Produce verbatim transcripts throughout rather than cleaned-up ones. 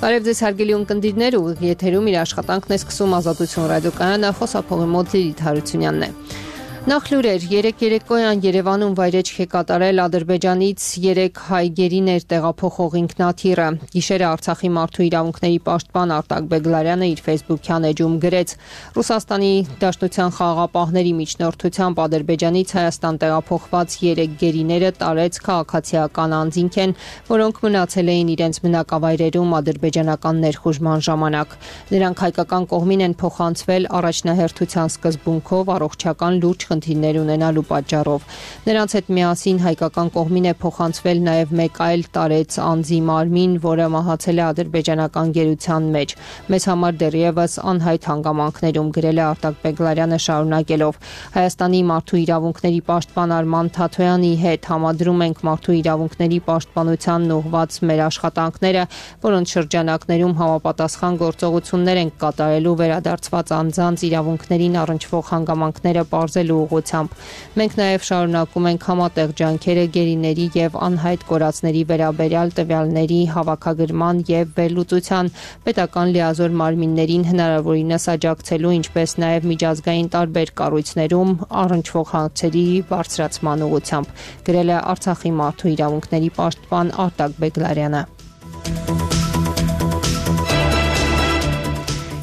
Բարև ձեզ հարգելի ունկնդիրներ, ուղիղ եթերում իր աշխատանքն է սկսում Ազատություն ռադիոկայանը, խոսափողի մոտ Լիլիթ Հարությունյանն է։ Նախ լուրեր, երեկ երեկոյան Երևանում վայրեջք է կատարել Ադրբեջանից երեք հայ գերիներ տեղափոխող ինքնաթիռը։ Գիշերը Արցախի մարդու իրավունքների պաշտպան Արտակ Բեգլարյանը իր Facebook-յան էջում գրեց. Ռուսաստանի Դաշնության խաղաղապահների միջնորդությամբ Ադրբեջանից Հայաստան տեղափոխված երեք գերիները տարեց քաղաքացիական անձինք են, որոնք մնացել էին իրենց բնակավայրերում ադրբեջանական ներխուժման ժամանակ։ Նրանք հայկական կողմին են փոխանցվել առաջնահերթության սկզբունքով առողջական լուրջ խնդիրներ ունենալու պատճառով։ Նրանց հետ միասին հայկական կողմին է փոխանցվել նաև մեկ այլ տարեց անձի մարմին, որը մահացել է ադրբեջանական գերության մեջ։ Մեզ համար դեռևս անհայտ հանգամանքներում, գրել է Արտակ Բեգլարյանը շարունակելով. Հայաստանի մարդու իրավունքների պաշտպան Արման Թաթոյանի հետ համադրում ենք մարդու իրավունքների պաշտպանությանն ուղղված մեր աշխատանքները, որոնց շրջանակներում համապատասխան գործողություններ ենք կատարելու վերադարձված անձանց իրավունքներին առնչվող հանգամանքները պարզելու ուղղությամբ։ Մենք նաև շարունակում ենք համատեղ ջանքերը գերիների եւ անհայտ կորածների վերաբերյալ տվյալների հավաքագրման եւ վերլուծության, պետական լիազոր մարմիններին հնարավորինս աջակցելու, ինչպես նաև միջազգային տարբեր կառույցներում առնչվող հարցերի բարձրացման ուղղությամբ, գրել է Արցախի մարդու իրավունքների պաշտպան Արտակ Բեգլարյանը։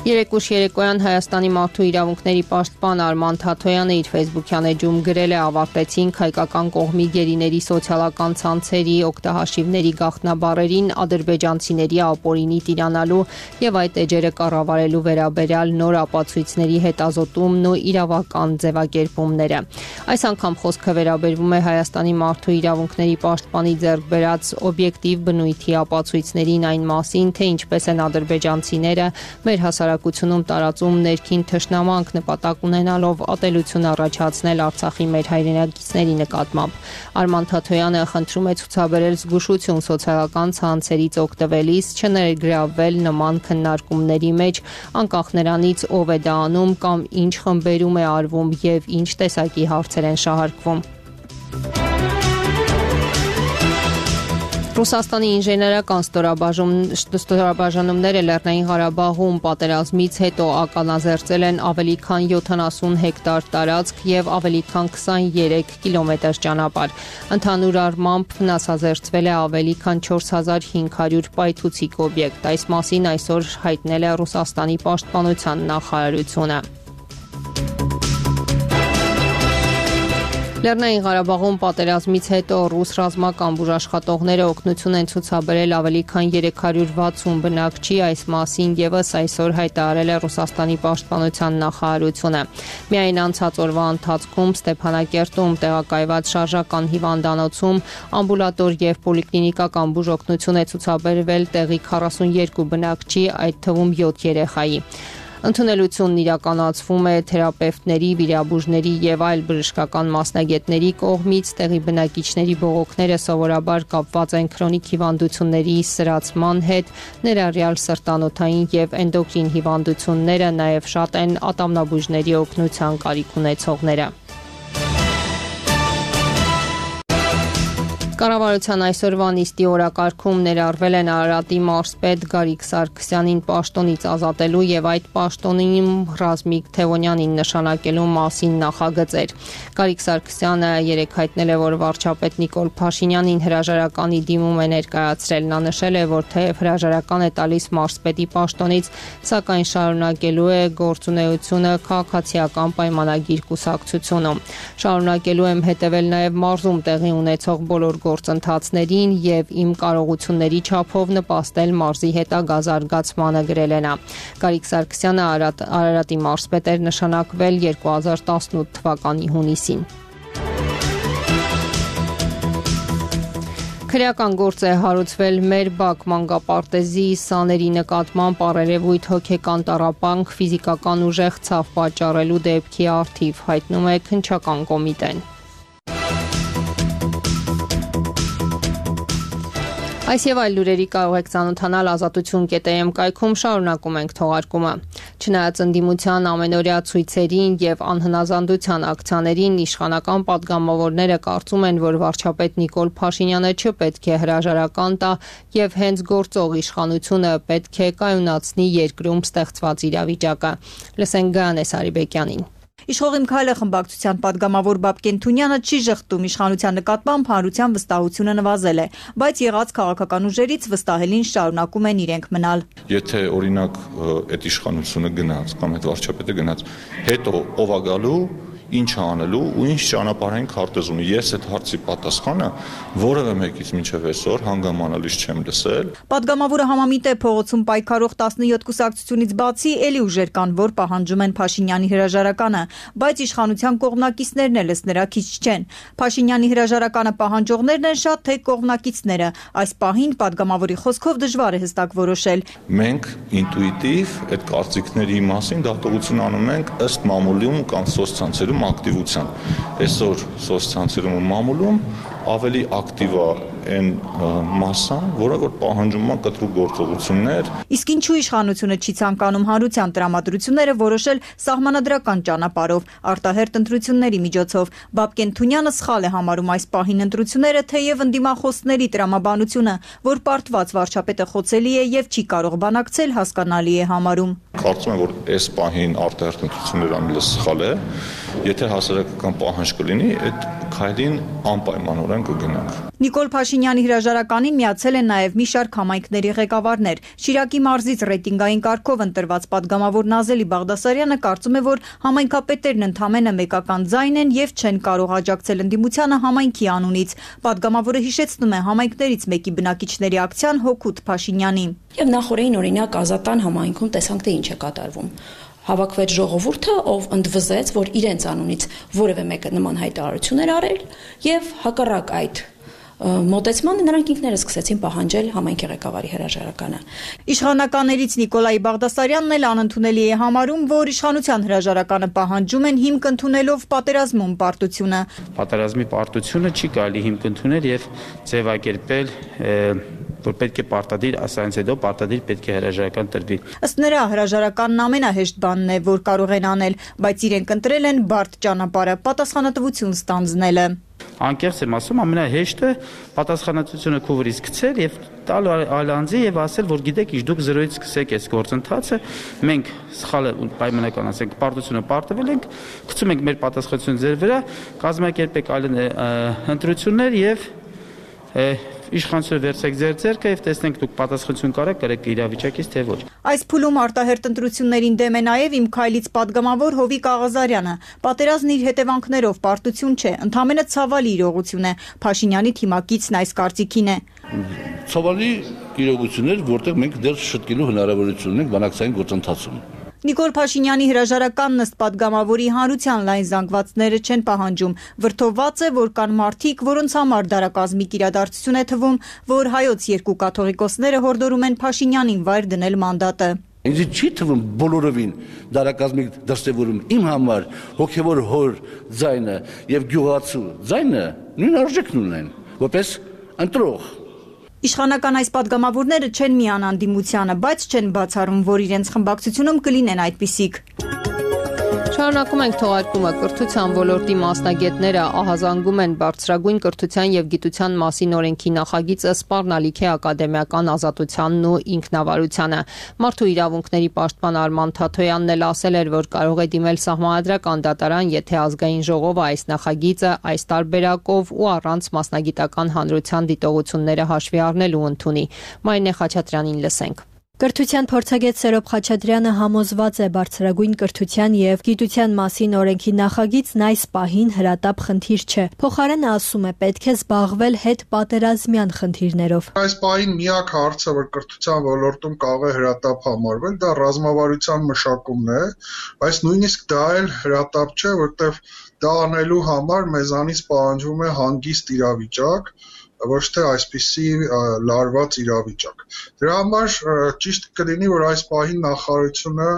Երեկ ուշ երեկոյան Հայաստանի մարդու իրավունքների պաշտպան Արման Թաթոյանը իր Facebook-յան էջում գրել է. ավարտեցինք հայկական կողմի գերիների սոցիալական ցանցերի օգտահաշիվների գաղտնաբառերին ադրբեջանցիների ապօրինի տիրանալու եւ այդ էջերը կառավարելու վերաբերյալ նոր ապացույցների հետազոտումն ու իրավական ձևակերպումները։ Այս անգամ խոսքը վերաբերվում է Հայաստանի մարդու իրավունքների պաշտպանի ձեռք բերած օբյեկտիվ բնույթի ապացույցներին այն մասին, թե ինչպես են ադրբեջանցիները մեր հասարակությունում ում տարածում ներքին թշնամանք նպատակ ունենալով ատելություն առաջացնել Արցախի մեր հայրենակիցների նկատմամբ։ Արման Թաթոյանը խնդրում է ցուցաբերել զգուշություն սոցիալական ցանցերից օգտվելիս, չներգրավվել նման քննարկումների մեջ, անկախ նրանից ով է դա անում կամ ինչ խմբերում է արվում եւ ինչ տեսակի հարցեր են շահարկվում։ Ռուսաստանի ինժեներական ստորաբաժանումները Լեռնային Ղարաբաղում պատերազմից հետո ականազերծել են ավելի քան յոթանասուն հեկտար տարածք եւ ավելի քան քսաներեք կիլոմետր ճանապարհ։ Ընդհանուր առմամբ վնասազերծվել է ավելի քան չորս հազար հինգ հարյուր պայթուցիկ օբյեկտ։ Այս մասին այսօր հայտնել է Ռուսաստանի պաշտպանության նախարարությունը։ Լեռնային Ղարաբաղում պատերազմից հետո ռուս ռազմական բուժաշխատողները օգնություն են ցուցաբերել ավելի քան երեք հարյուր վաթսուն բնակչի, այս մասին եւս այսօր հայտարարել է Ռուսաստանի պաշտպանության նախարարությունը։ Միայն անցած օրվա ընթացքում Ստեփանակերտում տեղակայված շարժական հիվանդանոցում ամբուլատոր եւ պոլիկլինիկական բուժօգնություն է ցուցաբերվել տեղի քառասունյոթ բնակչի, այդ թվում յոթ երեխայի։ Ընդունելությունն իրականացվում է թերապևտների, վիրաբույժների եւ այլ բժշկական մասնագետների կողմից։ Տեղի բնակիչների բողոքները սովորաբար կապված են քրոնիկ հիվանդությունների սրացման հետ, ներառյալ սրտանոթային եւ էնդոկրին հիվանդությունները, նաեւ շատ են ատամնաբույժների օգնության կարիք ունեցողները։ Կառավարության այսօրվա նիստի օրակարգում ներառվել են Արարատի մարզպետ Գարիկ Սարգսյանին պաշտոնից ազատելու եւ այդ պաշտոնին Ռազմիկ Թևոնյանին նշանակելու մասին նախագծեր։ Գարիկ Սարգսյանը երեկ հայտնել է, որ վարչապետ Նիկոլ Փաշինյանին հրաժարականի դիմում է ներկայացրել։ Նա նշել է, որ թեև հրաժարական է տալիս մարզպետի պաշտոնից, սակայն շարունակելու է գործունեությունը քաղաքացիական պայմանագիր կուսակցությունում։ Շարունակելու եմ հետևել նաեւ մարզում տեղի ունեցող բոլոր գործընթացներին եւ իմ կարողությունների չափով նպաստել մարզի հետագա զարգացմանը, գրել է նա։ Գարիկ Սարգսյանը Արարատի մարզպետ էր նշանակվել երկու հազար տասնութ թվականի հունիսին։ Քրեական գործ է հարուցվել մեր Բաք մանկապարտեզի սաների նկատմամբ առերևույթ հոգեկան տառապանք ֆիզիկական ուժեղ ցավ պատճառելու դեպքի առթիվ, հայտնում է քննչական կոմիտեն։ Այս եւ այլ լուրերի կարող եք ծանոթանալ ազատություն կետ էմ կայքում, շարունակում ենք թողարկումը։ Չնայած ընդդիմության ամենօրյա ցույցերին եւ անհնազանդության ակցիաներին, իշխանական падգամավորները կարծում են, որ վարչապետ Նիկոլ Փաշինյանը չպետք է հրաժարական տա եւ հենց գործող իշխանությունը պետք է կայունացնի երկրում ստեղծված իրավիճակը։ Լսենք Գայանե Սարիբեկյանին։ Իշխող Քայլը խմբակցության падգամավոր Բաբկեն Թունյանը չի ժխտում իշխանության նկատմամբ հանրության վստահությունը նվազել է, բայց եղած քաղաքական ուժերից վստահելին շարունակում են իրենք մնալ։ Եթե օրինակ այդ իշխանությունը գնաց կամ այդ վարչապետը գնաց, հետո ով է գալու, ինչ անելու ու ինչ ճանապարհային քարտեզ ունի։ Ես այդ հարցի պատասխանը որևէ մեկից մինչև այսօր հանգամանալից չեմ լսել։ Պատգամավորը համամիտ է փողոցում պայքարող տասնյոթ կուսակցությունից բացի էլի ուժեր կան, որ պահանջում են Փաշինյանի հրաժարականը, բայց իշխանության կողմնակիցներն էլ նրա քիչ չեն։ Փաշինյանի հրաժարականը պահանջողներն են շատ, թե կողմնակիցները։ Այս պահին պատգամավորի խոսքով դժվար է հստակ որոշել։ Մենք ինտուիտիվ այդ կարծիքների մասին դատողություն անում ենք ըստ մամուլում կամ սոցցանցերում ակտիվության։ Այսօր սոցցանցերում ու մամուլում ավելի ակտիվ է այն մասան, որը որ պահանջում է կտրուկ գործողություններ։ Իսկ ինչու իշխանությունը չի ցանկանում հանրության տրամադրությունները որոշել սահմանադրական ճանապարհով, արտահերթ ընտրությունների միջոցով։ Բաբկեն Թունյանը սխալ է համարում այս պահին ընտրությունները, թեև ընդդիմախոսների տրամաբանությունը, որ պարտված վարչապետը խոցելի է եւ չի կարող բանակցել, հասկանալի է համարում։ Կարծում եմ, որ այս պահին արտահերթ ընտրությունները ամենը սխալ է։ Եթե հասարակական պահանջ կլինի, այդ քայլին անպայմանորեն կգնանք։ Նիկոլ Փաշինյանի հրաժարականին միացել են նաև մի շարք համայնքների ղեկավարներ։ Շիրակի մարզից ռեյտինգային կարգով ընտրված падգամավոր Նազելի Բաղդասարյանը կարծում է, որ համայնքապետերն ընդամենը մեկական ձայն են եւ չեն կարող աջակցել ընդդիմությանը համայնքի անունից։ Падգամավորը հիշեցնում է համայնքներից մեկի բնակիչների ակցիան հօգուտ Փաշինյանի։ Եվ նախորդին օրինակ Ազատան համայնքում տեսանք, թե ինչ է կատարվում։ Հավաքվեց ժողովուրդը, ով ընդվզեց, որ իրենց անունից որևէ մեկը նման հայտարարություն էր արել եւ հակառակ այդ մոտեցմանը նրանք ինքներս սկսեցին պահանջել համայնքի ղեկավարի հրաժարականը։ Իշխանականներից Նիկոլայ Բաղդասարյանն էլ անընդունելի է համարում, որ իշխանության հրաժարականը պահանջում են հիմք ընդունելով պատերազմում պարտությունը։ Պատերազմի պարտությունը չի կարելի հիմք ընդունել եւ ձևակերպել որ պետք է պարտադիր, ասանց հետո պարտադիր պետք է հրաժարական տրվի։ Ըստ նրա հրաժարականն ամենահեշտ բանն է, որ կարող են անել, բայց իրենք ընտրել են բարդ ճանապարհը, պատասխանատվություն ստանձնելը։ Անկեղծ եմ ասում, ամենահեշտը պատասխանատվությունը քո վրից գցել եւ տալ այլ անձի եւ ասել, որ գիտեք, ինչ դուք զրոյից սկսեք այս գործընթացը, մենք սխալը պայմանական ասենք, պարտությունը պարտվել ենք, գցում ենք մեր պատասխանատվությունը ձեր վրա, կազմակերպեք այլ ընտրություններ եւ իշխանությունը վերցեք ձեր ձեռքը եւ տեսնենք դուք պատասխանատվություն կարեք կրեք իրավիճակից թե ոչ։ Այս փուլում արտահերթ ընտրություններին դեմ է նաեւ Իմ Քայլից падգամավոր Հովիկ Աղազարյանը։ Պատերազմն իր հետևանքներով պարտություն չէ, ընդամենը ցավալի իրողություն է։ Փաշինյանի թիմակիցն այս կարծիքին է։ Ցավալի իրողություն է, որտեղ մենք դեռ շտկելու հնարավորություն ունենք բանակցային գործընթացում։ Նիկոլ Փաշինյանի հրաժարականն ըստ падգամավորի հանրության լայն զանգվածները չեն պահանջում։ Վրդովված է, որ կան մարդիկ, որոնց համար դարակազմիկ իրադարձություն է թվում, որ հայոց երկու կաթողիկոսները հորդորում են Փաշինյանին վայր դնել մանդատը։ Ինձ չի թվում բոլորովին դարակազմիկ դրսևորում իմ համար հոգևոր հոր ձայնը եւ գյուղացու ձայնը նույն արժեքն ունեն, որպես ընտրող։ Իշխանական այս падգամավորները չեն միանան ընդդիմությանը, բայց չեն բացառում, որ իրենց խմբակցությունում կլինեն այդպիսիք։ Շարունակում ենք թողարկումը։ Կրթության ոլորտի մասնագետները ահազանգում են բարձրագույն կրթության եւ գիտության մասին օրենքի նախագիծը սպառնալիք է ակադեմիական ազատությանն ու ինքնավարությանը։ Մարդու իրավունքների պաշտպան Արման Թաթոյանն էլ ասել էր, որ կարող է դիմել սահմանադրական դատարան, եթե ազգային ժողովը այս նախագիծը այս տարբերակով ու առանց մասնագիտական հանրության դիտողությունները հաշվի առնելու ընդունի։ Մարինե Խաչատրյանին լսենք։ Կրթության փորձագետ Սերոբ Խաչատրյանը համոզված է բարձրագույն կրթության եւ գիտության մասին օրենքի նախագիծն այս պահին հրատապ խնդիր չէ։ Փոխարենը ասում է պետք է զբաղվել հետ պատերազմյան խնդիրներով։ Այս պահին միակ հարցը, որ կրթության ոլորտում կարող է հրատապ համարվել, դա ռազմավարության մշակումն է, բայց նույնիսկ դա էլ հրատապ չէ, որտեղ դա անելու համար մեզանից պահանջվում է հանգիստ իրավիճակ, ոչ թե այսպիսի լարված իրավիճակ։ Դրա համար ճիշտ կլինի, որ այս պահին նախարարությունը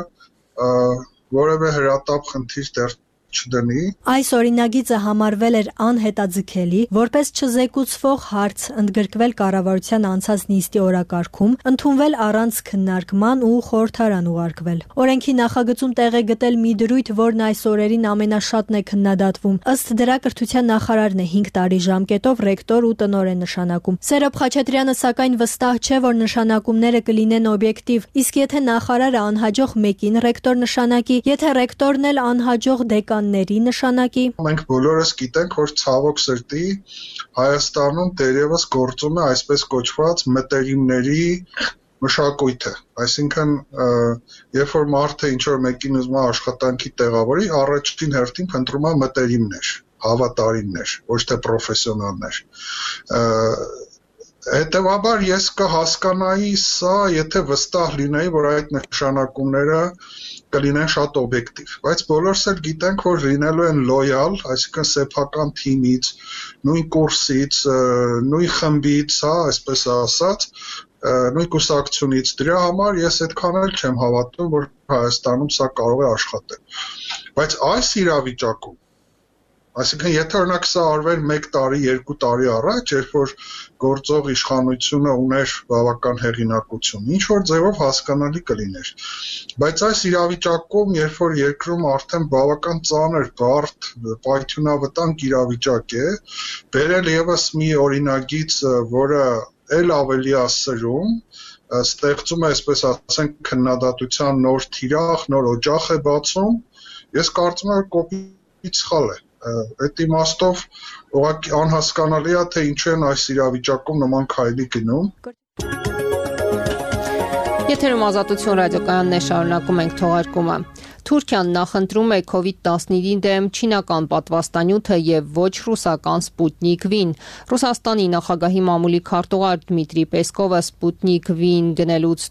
որևէ հրատապ խնդիր դեռ չդնի։ Այս օրինագիծը համարվել էր անհետաձգելի, որպես չզեկուցվող հարց ընդգրկվել կառավարության անցած նիստի օրակարգում, ընդունվել առանց քննարկման ու խորհրդարան ուղարկվել։ Օրենքի նախագծում տեղ է գտել մի դրույթ, որն այս օրերին ամենաշատն է քննադատվում։ Ըստ դրա կրթության նախարարն է հինգ տարի ժամկետով ռեկտոր ու տնօրեն նշանակում։ Սերոբ Խաչատրյանը սակայն վստահ չէ, որ նշանակումները կլինեն օբյեկտիվ, իսկ եթե նախարարը անհաջող մեկին ռեկտոր նշանակի, եթե ռեկտորն էլ անհաջող դեկանների նշանակի։ Մենք բոլորս գիտենք, որ ցավոք սրտի Հայաստանում դերևս գործում է այսպես կոչված մտերիմների մշակույթը, այսինքն երբ որ մարդը ինչ որ մեկին ուզում է աշխատանքի տեղավորի, առաջին հերթին փնտրում է մտերիմներ, հավատարիմներ, ոչ թե պրոֆեսիոնալներ։ Հետևաբար ես կհասկանայի սա, եթե վստահ լինեի, որ այդ նշանակումները կլինեն շատ օբյեկտիվ, բայց բոլորս էլ գիտենք, որ լինելու են լոյալ, այսինքն սեփական թիմից, նույն կուրսից, նույն խմբից, հա, այսպես ասած, նույն կուսակցությունից։ Դրա համար ես այդքան էլ չեմ հավատում, որ Հայաստանում սա կարող է աշխատել։ Բայց այս իրավիճակում, այսինքն եթե օրինակ սա արվեր մեկ տարի, երկու տարի առաջ, երբ որ գործող իշխանությունը ուներ բավական հեղինակություն, ինչ որ ձևով հասկանալի կլիներ։ Բայց այս իրավիճակում, երբ որ երկրում արդեն բավական ծանր, բարդ, պայթյունավտանգ իրավիճակ է, բերել եւս մի օրինագիծ, որը էլ ավելի է սրում, ստեղծում է, այսպես ասենք, քննադատության նոր թիրախ, նոր օջախ է բացում, ես կարծում եմ, որ կոպիտ սխալ է։ Այդ իմաստով ուղղակի անհասկանալի է, թե ինչու են այս իրավիճակում նման քայլի գնում։ Եթերում Ազատություն ռադիոկայանն է, շարունակում ենք թողարկումը։ Թուրքիան նախընտրում է քովիդ տասնինի դեմ չինական պատվաստանյութը եւ ոչ ռուսական Սպուտնիկ V-ն։ Ռուսաստանի նախագահի մամուլի քարտուղար Դմիտրի Պեսկովը Սպուտնիկ V-ն գնելուց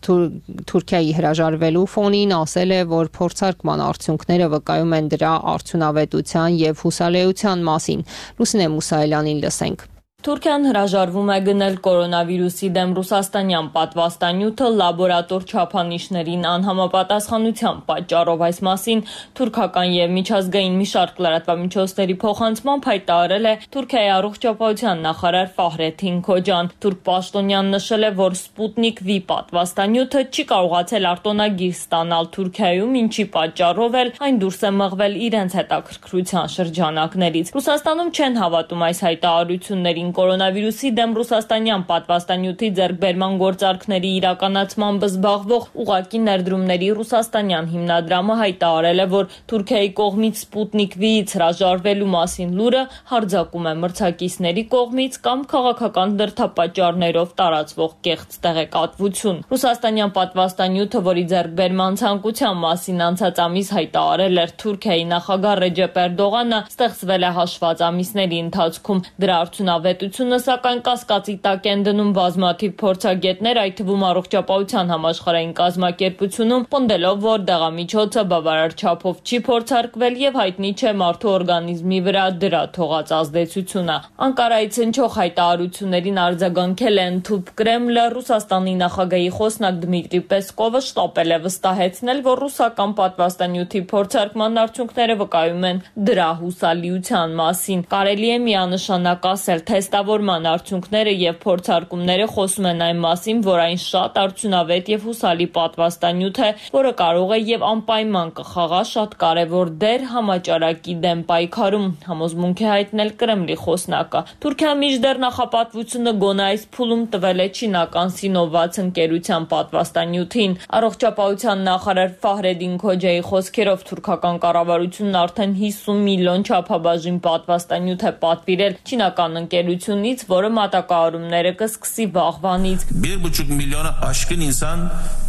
Թուրքիայի հրաժարվելու ֆոնին ասել է, որ փորձարկման արդյունքները վկայում են դրա արդյունավետության եւ հուսալեության մասին։ Լուսինե Մուսայելյանին լսենք։ Թուրքիան հրաժարվում է գնել կորոնավիրուսի դեմ ռուսաստանյան պատվաստանյութը լաբորատոր չափանիշներին անհամապատասխանության պատճառով։ Այս մասին թուրքական եւ միջազգային մի շարք լրատվամիջոցների փոխանցմամբ հայտարարել է Թուրքիայի առողջապահության նախարար Ֆահրեթին Քոջան։ Թուրք պաշտոնյան նշել է, որ Սպուտնիկ V պատվաստանյութը չի կարողացել արտոնագիր ստանալ Թուրքիայում, ինչի պատճառով էլ այն դուրս է մղվել իրենց հետաքրքրության շրջանակներից։ Ռուսաստանում չեն հավատում այս հայտարարություններին։ Կորոնավիրուսի դեմ ռուսաստանյան պատվաստանյութի ձեռքբերման գործարքների իրականացմամբ զբաղվող ուղղակի ներդրումների ռուսաստանյան հիմնադրամը հայտարարել է, որ Թուրքիայի կողմից Սպուտնիկ V-ից հրաժարվելու մասին լուրը հարձակում է մրցակիցների կողմից կամ քաղաքական դրդապատճառներով տարածվող կեղծ տեղեկատվություն։ Ռուսաստանյան պատվաստանյութը, որի ձեռքբերման ցանկության մասին անցած ամիս հայտարարել էր Թուրքիայի նախագահ Ռեջեփ Էրդողանը, ստեղծվել է հաշված ամիսների ընթացքում։ Դրա արդյունավետ Պետությունը սակայն կասկածի տակ են դնում բազմաթիվ փորձագետներ, այդ թվում առողջապահության համաշխարհային կազմակերպությունում, պնդելով, որ դեղամիջոցը բավարար չափով չի փորձարկվել եւ հայտնի չէ մարդու օրգանիզմի վրա դրա թողած ազդեցությունը։ Անկարայից հնչող հայտարարություններին արձագանքել է ընդհուպ Կրեմլը, Ռուսաստանի նախագահի խոսնակ Դմիտրի Պեսկովը շտապել է վստահեցնել, որ ռուսական պատվաստանյութի փորձարկման արդյունքները վկայում են դրա հուսալիության մասին։ Կարելի է միանշանակ ասել, թե Տեստավորման արդյունքները եւ փորձարկումները խոսում են այն մասին, որ այն շատ արդյունավետ եւ հուսալի պատվաստանյութ է, որը կարող է եւ անպայման կխաղա շատ կարեւոր դեր համաճարակի դեմ պայքարում, համոզմունք է հայտնել Կրեմլի խոսնակը։ Թուրքիան մինչդեռ նախապատվությունը գոնե այս փուլում տվել է չինական Սինովաց ընկերության պատվաստանյութին։ Առողջապահության նախարար Ֆահրեդին Քոջայի խոսքերով թուրքական կառավարությունն արդեն հիսուն միլիոն չափաբաժին պատվաստանյութ է պատվիրել չինական ընկերությունից, որը մատակարարումները կսկսի վաղվանից։ bir buçuk milyona aşkın insan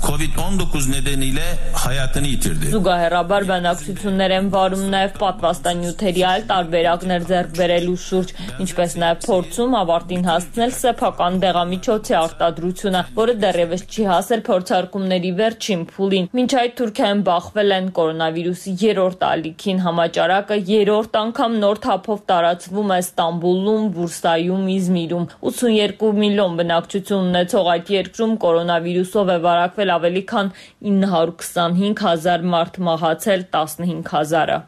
kovid on dokuz nedeniyle hayatını yitirdi. Զուգահեռաբար բանակցություններ են վարում նաև պատվաստանյութերի այլ տարբերակներ ձեռք բերելու շուրջ, ինչպես նաև փորձում ավարտին հասցնել սեփական դեղամիջոցի արտադրությունը, որը դեռևս չի հասել փորձարկումների վերջին փուլին։ Մինչ այդ Թուրքիայում բախվել են կորոնավիրուսի երրորդ ալիքին, համաճարակը երրորդ անգամ նոր թափով տարածվում է Ստամբուլում, Բուրսայում, Իզմիրում։ ութսունեքու միլիոն բնակչություն ունեցող այդ երկրում կորոնավիրուսով է վարակվել ավելի քան ինը հարյուր քսանհինգ հազար մարդ, մահացել տասնհինգ հազարը։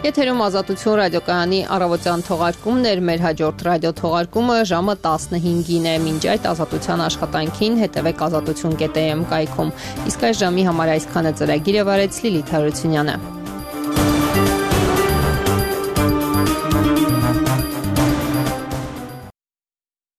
Եթերում Ազատություն ռադիոկայանի առավոտյան թողարկումն էր, մեր հաջորդ ռադիո թողարկումը ժամը տասնհինգին է։ Մինչ այդ Ազատության աշխատանքին հետևեք ազատություն կետ էմ կայքում։ Իսկ այս ժամի համար այսքանը ծրագիրը վարեց Լիլիթ Հարությունյանը։